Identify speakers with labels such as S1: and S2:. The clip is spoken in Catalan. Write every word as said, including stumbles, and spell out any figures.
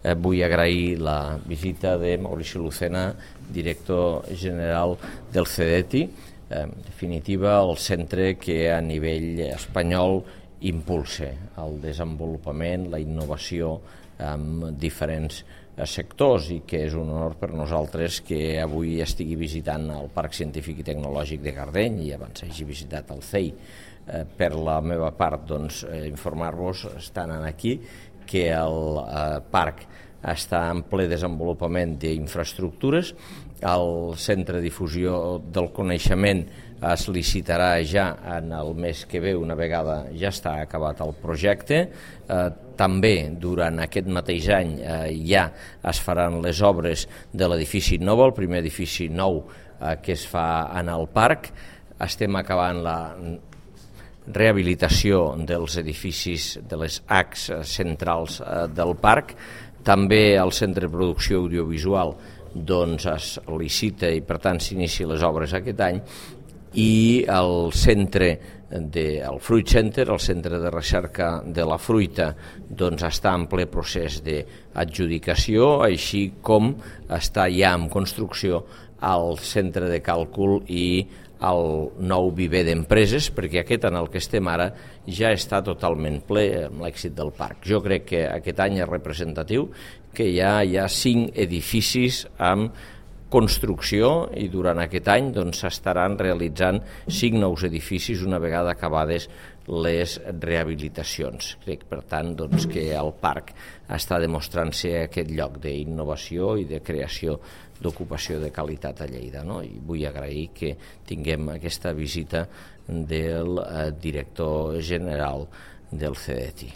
S1: eh, vull agrair la visita de Maurici Lucena, director general del CEDETI, eh, en definitiva el centre que a nivell espanyol impulsa el desenvolupament, la innovació en diferents sectors, i que és un honor per nosaltres que avui estigui visitant el Parc Científic i Tecnològic de Gardeny i abans hagi visitat el C E I. Eh, per la meva part, doncs, eh, informar-vos, estant aquí, que el eh, parc està en ple desenvolupament d'infraestructures. El Centre de Difusió del Coneixement es licitarà ja en el mes que ve, una vegada ja està acabat el projecte. Eh, també durant aquest mateix any eh, ja es faran les obres de l'edifici nou, el primer edifici nou eh, que es fa en el parc. Estem acabant la rehabilitació dels edificis de les arcs centrals eh, del parc. També el Centre de Producció Audiovisual doncs, es licita i per tant s'inicia les obres aquest any, i el centre de, el Fruit Center, el centre de recerca de la fruita, doncs està en ple procés d'adjudicació, així com està ja en construcció el centre de càlcul i el nou viver d'empreses, perquè aquest en el que estem ara ja està totalment ple amb l'èxit del parc. Jo crec que aquest any és representatiu, que ja hi ha cinc edificis amb construcció i durant aquest any s'estaran doncs, realitzant cinc nous edificis una vegada acabades les rehabilitacions. Crec, per tant, doncs, que el parc està demostrant-se aquest lloc d'innovació i de creació d'ocupació de qualitat a Lleida, no? I vull agrair que tinguem aquesta visita del eh, director general del CEDETI.